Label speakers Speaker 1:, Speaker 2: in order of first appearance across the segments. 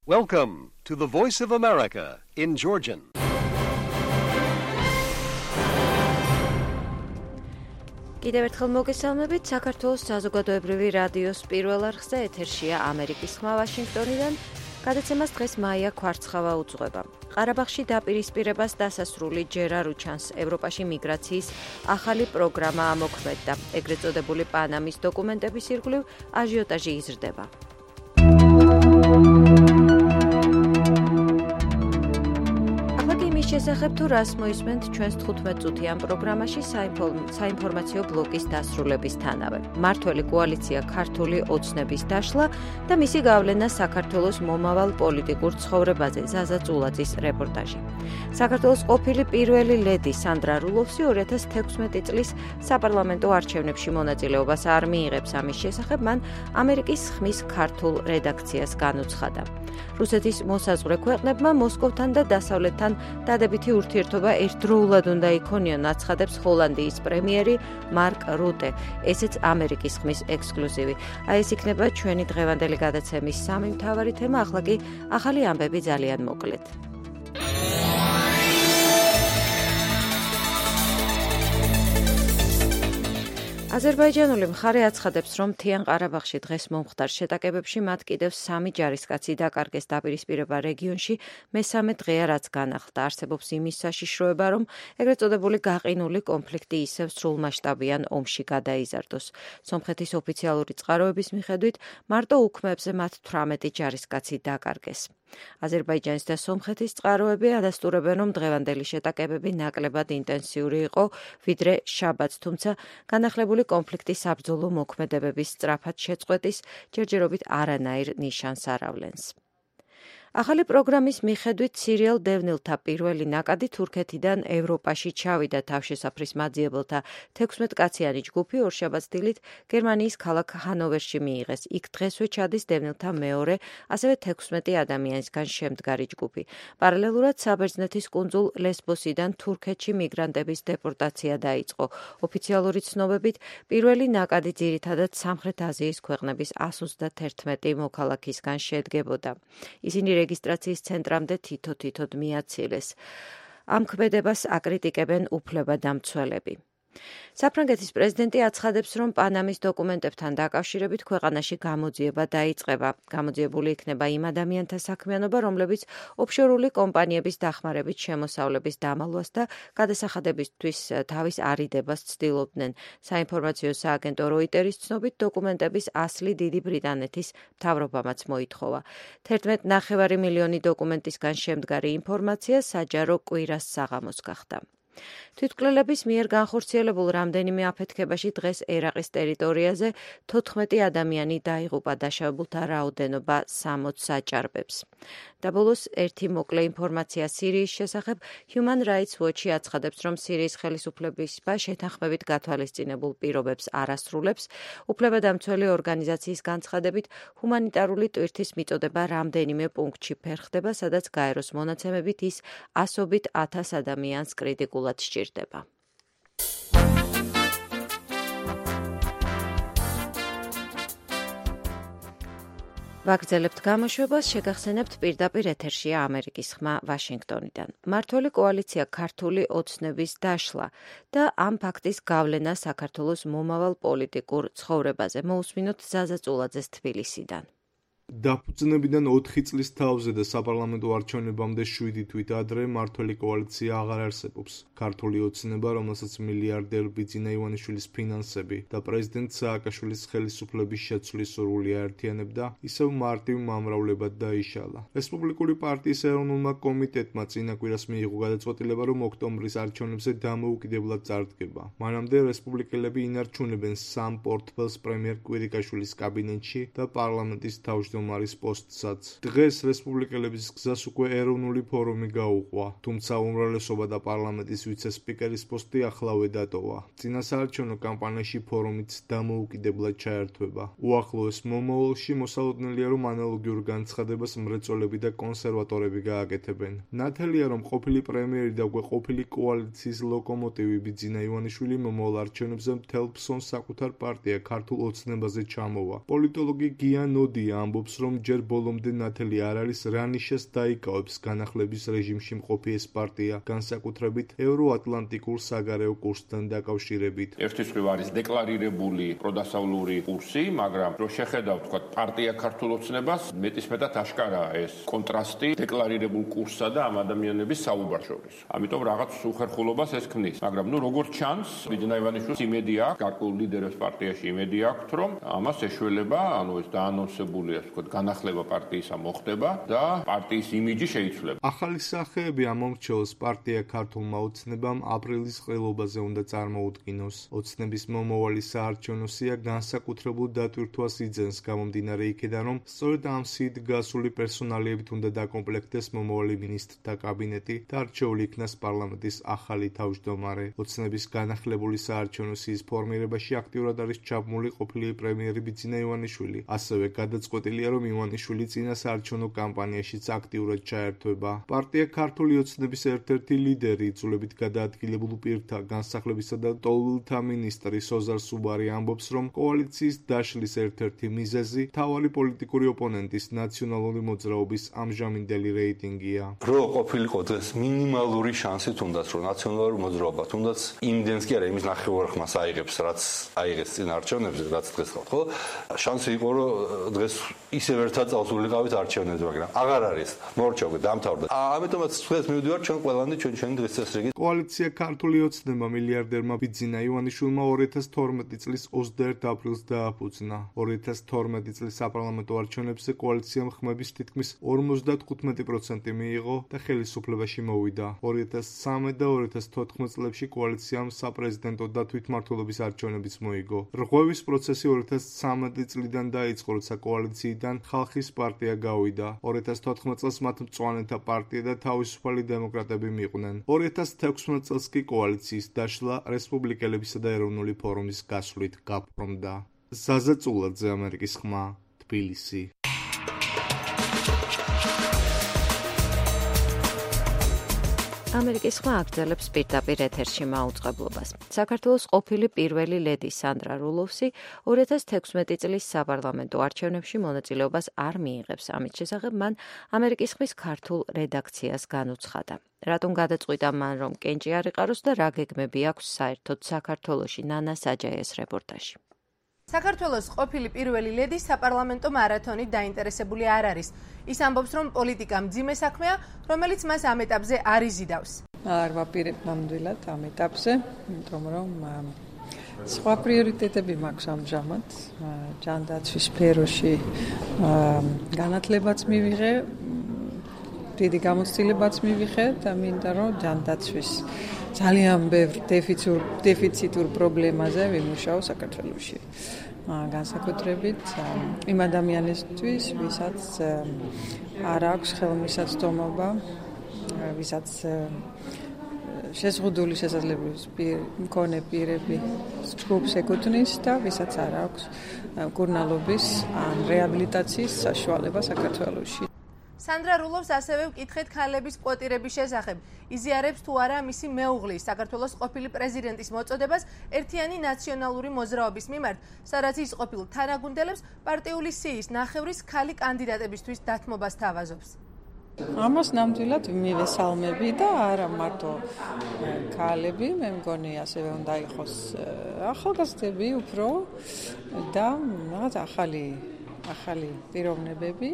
Speaker 1: Welcome to the Voice of America in Georgian.
Speaker 2: კიდევ ერთხელ მოგესალმებით, საქართველოს საზოგადოებრივი რადიოს პირველ არხზე ეთერშია ამერიკის ხმა ვაშინგტონიდან. გადაცემას დღეს მაია ქვარცხავა უძღვება. ყარაბაღში დაპირისპირებას დასასრული ჯერ არ უჩანს. ევროპაში მიგრაციის ახალი პროგრამა ამოქმედდა. ეგრეთ წოდებული პანამის დოკუმენტების ირგვლივ აჟიოტაჟი იზრდება. შესახებ თუ რას მოისმენთ ჩვენს 15 წუთიან პროგრამაში საინფორმაციო ბლოკის დასრულებისთანავე. მმართველი კოალიცია ქართული ოცნების დაშლა და მისი გავლენა საქართველოს მომავალ პოლიტიკურ ცხოვრებაზე. ზაზა წულაძის რეპორტაჟი. საქართველოს ყოფილი პირველი ლედი სანდრა რულოვსი 2016 წლის საპარლამენტო არჩევნებში მონაწილეობას არ მიიღებს. ამის შესახებ მან ამერიკის ხმის ქართულ რედაქციას განუცხადა. რუსეთის მოსაზღვრე ქვეყნებმა მოსკოვთან და დასავლეთთან დადებითი ურთიერთობა ერთდროულად უნდა იქონიონ, აცხადებს ჰოლანდიის პრემიერი მარკ რუტე. ესეც ამერიკის ხმის ექსკლუზივი. აი ეს იქნება ჩვენი დღევანდელი გადაცემის სამი მთავარი თემა, ახლა კი ახალი ამბები ძალიან მოკლედ. აზერბაიჯანული მხარე აცხადებს, რომ მთიან ყარაბაღში დღეს მომხდარ შეტაკებებში მათ კიდევ 3 ჯარისკაცი დაკარგეს. დაპირისპირება რეგიონში მესამე დღეა, რაც განახლდა. არსებობს იმის საშიშროება, რომ ეგრეთ წოდებული გაყინული კონფლიქტი ისევ სრულმასშტაბიან ომში გადაიზარდოს. სომხეთის ოფიციალური წყაროების მიხედვით, მარტო უქმებზე მათ 18 ჯარისკაცი დაკარგეს. აზერბაიჯანის და სომხეთის წყაროები ადასტურებენ, რომ დღევანდელი შეტაკებები ნაკლებად ინტენსიური იყო, ვიდრე შაბათს, თუმცა განახლებული კონფლიქტის საბრძოლო მოქმედებების სწრაფად შეწყვეტის ჯერჯერობით არანაირ ნიშანს არ ავლენს. ახალი პროგრამის მიხედვით სირიელ დევნილთა პირველი ნაკადი თურქეთიდან ევროპაში ჩავიდა. თავშესაფრის მაძიებელთა 16 კაციანი ჯგუფი ორშაბათს დილით გერმანიის ქალაქ ჰანოვერში მიიღეს. იქ დღესვე ჩადის დევნილთა მეორე, ასევე 16 ადამიანისგან შემდგარი ჯგუფი. პარალელურად საბერძნეთის კუნძულ ლესბოსიდან თურქეთში მიგრანტების დეპორტაცია დაიწყო. ოფიციალური ცნობებით პირველი ნაკადი ძირითადად სამხრეთ აზიის ქვეყნების 131 მოქალაქისგან შედგებოდა. ისინი რეგისტრაციის ცენტრამდე თითო-თითოდ მიაცილეს. ამ ქმედებას აკრიტიკებენ უფლებადამცველები. საფრანგეთის პრეზიდენტი აცხადებს, რომ პანამის დოკუმენტებთან დაკავშირებით ქვეყანაში გამოძიება დაიწყება. გამოძიებული იქნება იმ ადამიანთა საქმიანობა, რომლებიც ოფშორული კომპანიების დახმარებით შემოსავლების დამალვას და გადასახადებისთვის თავის არიდებას ცდილობდნენ. საინფორმაციო სააგენტო როიტერის ცნობით, დოკუმენტების ასლი დიდი ბრიტანეთის მთავრობამაც მოითხოვა. 11,5 მილიონი დოკუმენტისგან შემდგარი ინფორმაცია საჯარო კვირას საღამოს გახდა. თვითმკვლელების მიერ განხორციელებულ რამდენიმე აფეთქებაში დღეს ერაყის ტერიტორიაზე 14 ადამიანი დაიღუპა. დაშავებულთა რაოდენობა 60-ს აჭარბებს. და ბოლოს ერთი მოკლე ინფორმაცია სირიის შესახებ. Human Rights Watch აცხადებს, რომ სირიის ხელისუფლებისება შეთანხმებით გათვალისწინებულ პირობებს არ ასრულებს. უფლებადამცველი ორგანიზაციის განცხადებით, ჰუმანიტარული ტვირთის მიწოდება რამდენიმე პუნქტში ფერხდება, სადაც გაეროს მონაცემებით ის ასობით 1000 ადამიანს კრიტიკულად სჭირდება. ვაგრძელებთ გამოშვებას, შეგახსენებთ პირდაპირ ეთერშია ამერიკის ხმა ვაშინგტონიდან. მმართველი კოალიცია ქართული ოცნების დაშლა და ამ ფაქტის გავლენა საქართველოს მომავალ პოლიტიკურ ცხოვრებაზე. მოусმინოთ ზაზა წულაძეს თბილისიდან.
Speaker 3: დაფუძნებიდან 4 წლის თავზე და საპარლამენტო არჩევნებამდე 7 თვით ადრე მმართველი კოალიცია აღარ არსებობს. ქართული ოცნება, რომელსაც მილიარდერ ბიძინა ივანიშვილის ფინანსები და პრეზიდენტ სააკაშვილის ხელისუფლების შეცვლის სურვილი აერთიანებდა, ისევ მარტივ მომრავლებად დაიშალა. რესპუბლიკური პარტიის ეროვნულმა კომიტეტმა წინა კვირას მიიღო გადაწყვეტილება, რომ ოქტომბრის არჩევნებზე დამოუკიდებლად წარდგება. მანამდე რესპუბლიკელები ინარჩუნებენ 3 პორტფელს პრემიერ კვირიკაშვილის კაბინეტში და პარლამენტის თავმჯდომარის პოსტსაც. დღეს რესპუბლიკელების გზას უკვე ეროვნული ფორუმი გაუყვა, თუმცა უმრავლესობა და პარლამენტის ვიცე-სპიკერის პოსტი ახლავე დატოვა. წინასაარჩევნო კამპანიაში ფორუმიც დამოუკიდებლად ჩაერთვება. უახლოეს მომავალში მოსალოდნელია, რომ ანალოგიურ განცხადებას მრეწველები და კონსერვატორები გააკეთებენ. ნათელია, რომ ყოფილი პრემიერი და უკვე ყოფილი კოალიციის ლოკომოტივი ბიძინა ივანიშვილი მომავალ არჩევნებზე მთელ ფსონს საკუთარ პარტია ქართულ ოცნებაზე ჩამოვა. პოლიტოლოგი გია ნოდია ამბობს, ამბობს, რომ ჯერ ბოლომდე ნათელი არ არის რა ნიშას დაიკავებს განახლების რეჟიმში მყოფი ეს პარტია, განსაკუთრებით ევროატლანტიკურ საგარეო კურსთან დაკავშირებით.
Speaker 4: ერთის მხრივ არის დეკლარირებული პროდასავლური კურსი, მაგრამ რო შეხედავთ, თქვა, პარტია ქართულ ოცნებას, მეტისმეტად აშკარაა ეს კონტრასტი დეკლარირებულ კურსსა და ამ ადამიანების საუბარს შორის. ამიტომ რაღაც უხერხულობას ეს ქმნის. მაგრამ როგორც ჩანს, ბიძინა ივანიშვილს იმედი აქვს, გარკვეულ ლიდერებს პარტიაში იმედი აქვს, რომ ამას ეშველება, ეს დაანონსებულია, თქვა, განახლება პარტიისა მოხდება და პარტიის იმიჯი შეიცვლება.
Speaker 3: ახალი სახეები ამომრჩევლს პარტია ქართულმა ოცნებამ აპრილის ყრილობაზე უნდა წარმოუდგინოს. ოცნების მომავალი საარჩევნო სია განსაკუთრებულ დატვირთვას იძენს გამომდინარე იქიდან, რომ სწორედ ამ სიით გასული პერსონალიებით უნდა დაკომპლექტდეს მომავალი მინისტრთა კაბინეტი და არჩეული იქნას პარლამენტის ახალი თავმჯდომარე. ოცნების განახლებული საარჩევნო სიის ფორმირებაში აქტიურად არის ჩაბმული ყოფილი პრემიერი ბიძინა ივანიშვილი. ასევე გადაწყვეტილია, რომ ივანიშვილი წინა საარჩევნო კამპანიაშიც აქტიურად ჩაერთვება. პარტია ქართული ოცნების ერთ-ერთი ლიდერი, იძულებით გადაადგილებულ პირთა განსახლებისა და ტოლულთა მინისტრი სოზარ სუბარი ამბობს, რომ კოალიციის დაშლის ერთ-ერთი მიზეზი მთავარი პოლიტიკური ოპონენტის ნაციონალური მოძრაობის ამჟამინდელი რეიტინგია.
Speaker 5: რო ყოფილიყო დღეს მინიმალური შანსი თუნდაც, რომ ნაციონალური მოძრაობა თუნდაც იმდენს კი არა, იმის ნახევარხმას აიღებს, რაც აიღეს წინა არჩევნებზე, რაც დღეს ხავთ, ხო? შანსი იყო, რომ დღეს ისევ ერთად წავსულიყავით არჩევნებზე, მაგრამ აღარ არის. მორჩა დამთავრდა. ამიტომაც დღეს მივდივარ ჩვენ ყველანი ჩვენი დღეს წესრიგი.
Speaker 3: კოალიცია ქართული ოცნება მილიარდერმა ბიძინა ივანიშვილმა 2012 წლის 21 აპრილს დააფუძნა. 2012 წლის საპარლამენტო არჩევნებზე კოალიციამ ხმების თითქმის 55% მიიღო და ხელისუფლებაში მოვიდა. 2013 და 2014 წლებში კოალიციამ საპრეზიდენტო და თვითმმართველობის არჩევნებიც მოიგო. რღვევის პროცესი 2013 წლიდან დაიწყო, როცა კოალიციიდან ხალხის პარტია გავიდა. 2014 წელს მათ მწვანეთა პარტია და თავისუფალი დემოკრატები მიყვნენ. 2016 წელს კი კოალიციის დაშლა რესპუბლიკელებისა და ეროვნული ფორუმის გასვლით გაფორმდა. ზაზა წულაძე, ამერიკის ხმა, თბილისი.
Speaker 2: ამერიკის ხმა აგრძელებს პირდაპირ ეთერში მაუწყებლობას. საქართველოს ყოფილი პირველი ლედი სანდრა რულოვსი 2016 წლის საპარლამენტო არჩევნებში მონაწილეობას არ მიიღებს. ამით შესახებ მან ამერიკის ხმის ქართულ რედაქციას განუცხადა. რატომ გადაწყვიტა მან, რომ კენჭი არ იყაროს და რა გეგმები აქვს საერთოდ საქართველოში? ნანა საჯაიას რეპორტაჟი.
Speaker 6: საქართველოს ყოფილი პირველი ლედი საპარლამენტო მარათონით დაინტერესებული არ არის. ის ამბობს, რომ პოლიტიკა მძიმე საქმეა, რომელიც მას ამ ეტაპზე არ იზიდავს.
Speaker 7: არ ვაპირებ ნამდვილად ამ ეტაპზე, იმიტომ რომ სხვა პრიორიტეტები მაქვს ამჟამად. ჯანდაცვის სფეროში განათლებაც მივიღე, დიდი გამოცდილებაც მივიღე და მინდა რომ ჯანდაცვის ძალიან ბევრ დეფიციტურ პრობლემაზე ვიმუშაო საქართველოში. განსაკუთრებით იმ ადამიანისთვის, ვისაც არ აქვს ხელმისაწვდომობა, ვისაც შეზღუდული შესაძლებლობის მქონე პირები ჯგუფს ეკუთვნის და ვისაც არ აქვს მკურნალობის ან რეაბილიტაციის საშუალება საქართველოში.
Speaker 6: სანდრა რულოვს ასევე ვკითხეთ ქალების კვოტირების შესახებ. იზიარებს თუ არა მისი მეუღლის, საქართველოს ყოფილი პრეზიდენტის მოწოდებას ერთიანი ნაციონალური მოძრაობის მიმართ, სადაც ის ყოფილ თანაგუნდელებს პარტიული სიის ნახევრის ქალი კანდიდატებისთვის დათმობას თავაზობს.
Speaker 7: ამას ნამდვილად მივესალმები და არა მარტო ქალები, მე მგონი ასევე უნდა იყოს ახალგაზრდები უფრო და რაღაც ახალი პიროვნებები.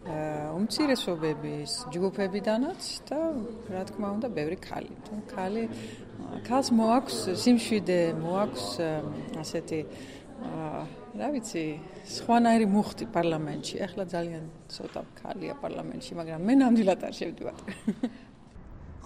Speaker 7: უმცირესობების ჯგუფებიდანაც და რა თქმა უნდა ბევრი ქალი. ქალს მოაქვს სიმშვიდე, მოაქვს ასეთი რა ვიცი, სხვანაირი მუხტი პარლამენტში. ახლა ძალიან ცოტა ქალია პარლამენტში, მაგრამ მე ნამდვილად არ შევდივარ.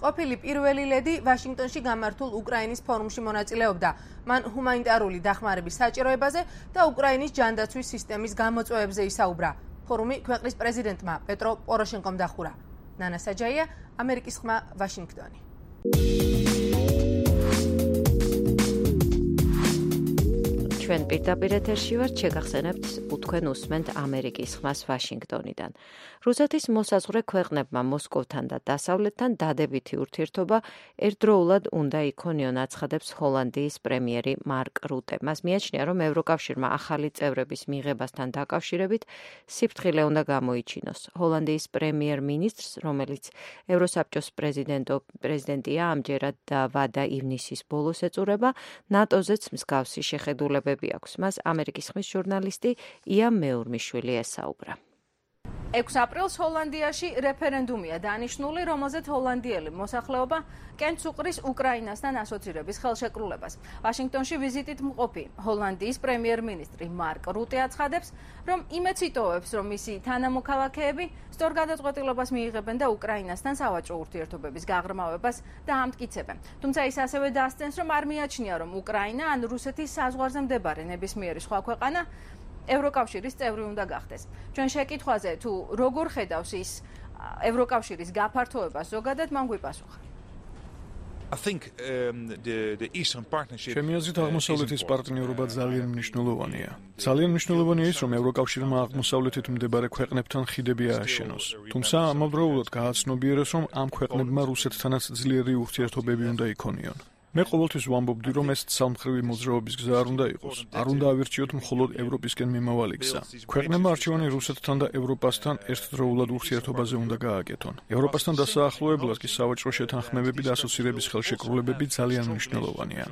Speaker 6: ყოფილი პირველი ლედი ვაშინგტონში გამართულ უკრაინის ფორუმში მონაწილეობდა. მან ჰუმანიტარული დახმარების საჭიროებაზე და უკრაინის ჯანდაცვის სისტემის გამოწვევებზე ისაუბრა. ფორუმი ქვეყნის პრეზიდენტმა პეტრო პოროშენკომ დახურა. ნანა საჯაია, ამერიკის ხმა, ვაშინგტონი.
Speaker 2: ჩვენ პირდაპირ ეთერში ვართ, შეგახსენებთ თქვენ უსმენთ ამერიკის ხმას ვაშინგტონიდან. რუსეთის მოსაზღვრე ქვეყნებმა მოსკოვთან და დასავლეთთან დადებითი ურთიერთობა ერთდროულად უნდა იქონიონ, აცხადებს ჰოლანდიის პრემიერი მარკ რუტე. მას მიაჩნია, რომ ევროკავშირმა ახალი წევრების მიღებასთან დაკავშირებით სიფრთხილე უნდა გამოიჩინოს. ჰოლანდიის პრემიერ-მინისტრს, რომელიც ევროსაბჭოს პრეზიდენტია, ამჯერად ვადა ივნისის ბოლოს ეწურება, ნატოზეც მსგავსი შეხედულებები აქვს. მას ამერიკის ხმის ჟურნალისტი ია მეურმიშვილი ესაუბრა.
Speaker 6: 6 აპრილს ჰოლანდიაში რეფერენდუმია დანიშნული, რომელზეც ჰოლანდიელი მოსახლეობა კენც უყრის უკრაინასთან ასოცირების ხელშეკრულებას. ვაშინგტონში ვიზიტით მყოფი ჰოლანდიის პრემიერ-მინისტრი მარკ რუტე აცხადებს, რომ იმედს იტოვებს, რომ მისი თანამოქალაქეები სწორ გადაწყვეტილებას მიიღებენ და უკრაინასთან სავაჭრო ურთიერთობების გაღრმავებას დაამტკიცებენ. თუმცა ის ასევე დასცენს, რომ არ მიაჩნია, რომ უკრაინა ან რუსეთის საზღვარზე მდებარე ნებისმიერი სხვა ქვეყანა ევროკავშირის წევრი უნდა გახდეს. ჩვენ შეკითხვაზე თუ როგორ ხედავს ის ევროკავშირის გაფართოებას ზოგადად, მან გვიპასუხა.
Speaker 8: ჩემი აზრით აღმოსავლეთის პარტნიორობა ძალიან მნიშვნელოვანია. ძალიან მნიშვნელოვანია ის, რომ ევროკავშირმა აღმოსავლეთით მდებარე ქვეყნებთან ხიდები ააშენოს. თუმცა ამავდროულად გააცნობიეროს, რომ ამ ქვეყნებმა რუსეთთანაც ძლიერი ურთიერთობები უნდა იქონიონ. მე ყოველთვის ვამბობდი, რომ ეს ცალმხრივი მოძრაობის გზა არ უნდა იყოს. არ უნდა ავირჩიოთ მხოლოდ ევროპისკენ მიმავალი გზა. ქვეყნებმა არჩევანი რუსეთთან და ევროპასთან ერთდროულად ურთიერთობაზე უნდა გააკეთონ. ევროპასთან დასაახლოებლად კი სავაჭრო შეთანხმებები და ასოცირების ხელშეკრულებები ძალიან მნიშვნელოვანია.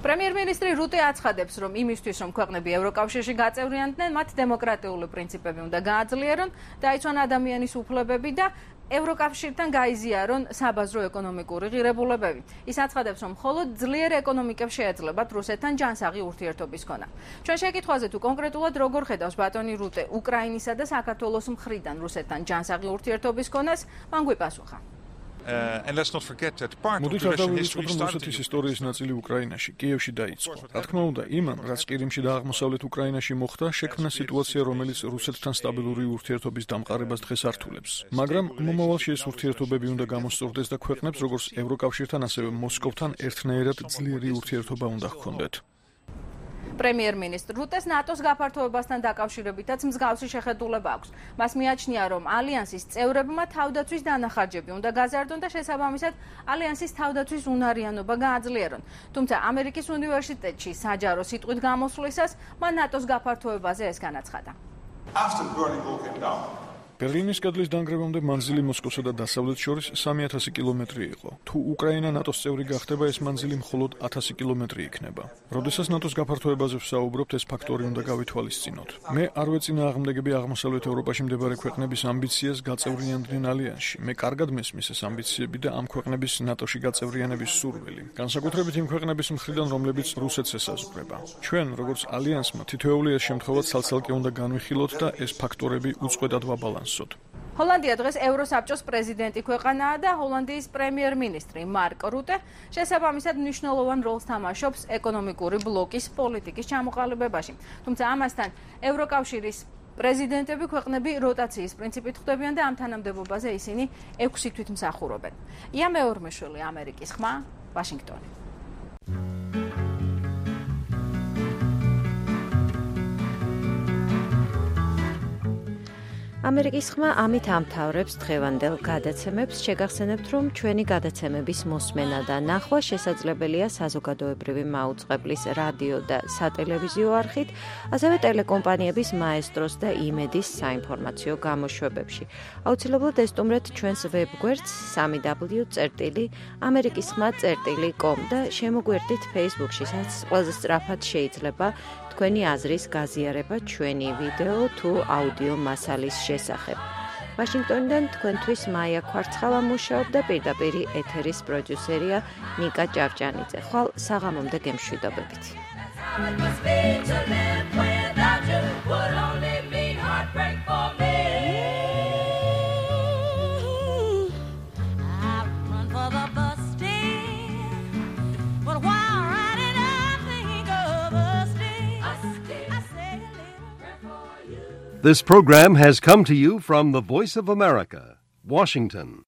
Speaker 6: პრემიერ-მინისტრი რუტე აცხადებს, რომ იმისთვის, რომ ქვეყნები ევროკავშირში გაწევრიანდნენ, მათ დემოკრატიული პრინციპები უნდა გააძლიერონ, დაიცვან ადამიანის უფლებები და ევროკავშირთან გაიზიარონ საბაზრო ეკონომიკური ღირებულებები. ის აცხადებს, რომ მხოლოდ ძლიერ ეკონომიკებს შეეძლებათ რუსეთთან ჯანსაღი ურთიერთობის ქონა. ჩვენ შეკითხვაზე თუ კონკრეტულად როგორ ხედავს ბატონი რუტე უკრაინისა და საქართველოს მხრიდან რუსეთთან ჯანსაღი ურთიერთობის ქონას, მან გვიპასუხა.
Speaker 8: მოდით არ დავივიწყოთ, რომ რუსეთის ისტორიის ნაწილი უკრაინაში, კიევში დაიწყო. რა თქმა უნდა, იმან, რაც ყირიმში და აღმოსავლეთ უკრაინაში მოხდა, შექმნა სიტუაცია, რომელიც რუსეთთან სტაბილური ურთიერთობის დამყარებას დღეს ართულებს. მაგრამ მომავალში ეს ურთიერთობები უნდა გამოსწორდეს და ქვეყნებს, როგორც ევროკავშირთან, ასევე მოსკოვთან ერთნაირად ძლიერი ურთიერთობა უნდა ჰქონდეთ.
Speaker 6: პრემიერ-მინისტრ რუტეს ნატოს გაფართოებასთან დაკავშირებითაც მსგავსი შეხედულება აქვს. მას მიაჩნია, რომ ალიანსის წევრებმა თავდაცვის დანახარჯები უნდა გაზარდონ და შესაბამისად ალიანსის თავდაცვის უნარიანობა გააძლიერონ. თუმცა ამერიკის უნივერსიტეტში საჯარო სიტყვით გამოსვლისას მან ნატოს გაფართოებაზე ეს განაცხადა.
Speaker 8: ბერლინის კედლის დანგრევამდე მანძილი მოსკოვსა და დასავლეთ შორის 3000 კილომეტრი იყო. თუ უკრაინა ნატოს წევრი გახდება, ეს მანძილი მხოლოდ 1000 კილომეტრი იქნება. როდესაც ნატოს გაფართოებაზე ვსაუბრობთ, ეს ფაქტორი უნდა გავითვალისწინოთ. მე არ ვეწინააღმდეგები აღმოსავლეთ ევროპაში მდებარე ქვეყნების ამბიციას გაწევრიანდნენ ალიანსში. მე კარგად მესმის ეს ამბიციები და ამ ქვეყნების ნატოში გაწევრიანების სურვილი. განსაკუთრებით იმ ქვეყნების მხრიდან, რომლებიც რუსეთს ესაზღვრება. ჩვენ, როგორც ალიანსმა, თითოეული ეს შემთხვევა ცალ-ცალკე უნდა განვიხილოთ და ეს ფაქტორები უწყვეტად ვაბალანსოთ.
Speaker 6: ჰოლანდია დღეს ევროსაბჭოს პრეზიდენტი ქვეყანაა და ჰოლანდიის პრემიერ-მინისტრი მარკ რუტე შესაბამისად მნიშვნელოვან როლს თამაშობს ეკონომიკური ბლოკის პოლიტიკის ჩამოყალიბებაში. თუმცა ამასთან ევროკავშირის პრეზიდენტები ქვეყნები როტაციის პრინციპით ხვდებიან და ამ თანამდებობაზე ისინი 6 თვით მსახურობენ. ია მეურმიშვილი, ამერიკის ხმა, ვაშინგტონი.
Speaker 2: ამერიკის ხმა ამით ამთავრებს დღევანდელ გადაცემებს. შეგახსენებთ, რომ ჩვენი გადაცემების მოსმენა და ნახვა შესაძლებელია საზოგადოებრივი მაუწყებლის რადიო და სატელევიზიო არხით, ასევე ტელეკომპანიების მაესტროს და იმედის საინფორმაციო გამოშვებებში. აუცილებლად ესტუმრეთ ჩვენს ვებგვერდს www.amerikiskhma.com და შემოგვერდით Facebook-ში, სადაც ყველაზე სწრაფად შეიძლება თქვენი აზრის გაზიარება ჩვენი ვიდეო თუ აუდიო მასალის შესახებ. ვაშინგტონიდან თქვენთვის მაია ქვარცხალა მუშაობდა, პირდაპირ ეთერის პროდიუსერია ნიკა ჭავჭანიძე. ხვალ საღამომდე გემშვიდობებით.
Speaker 1: This program has come to you from the Voice of America, Washington.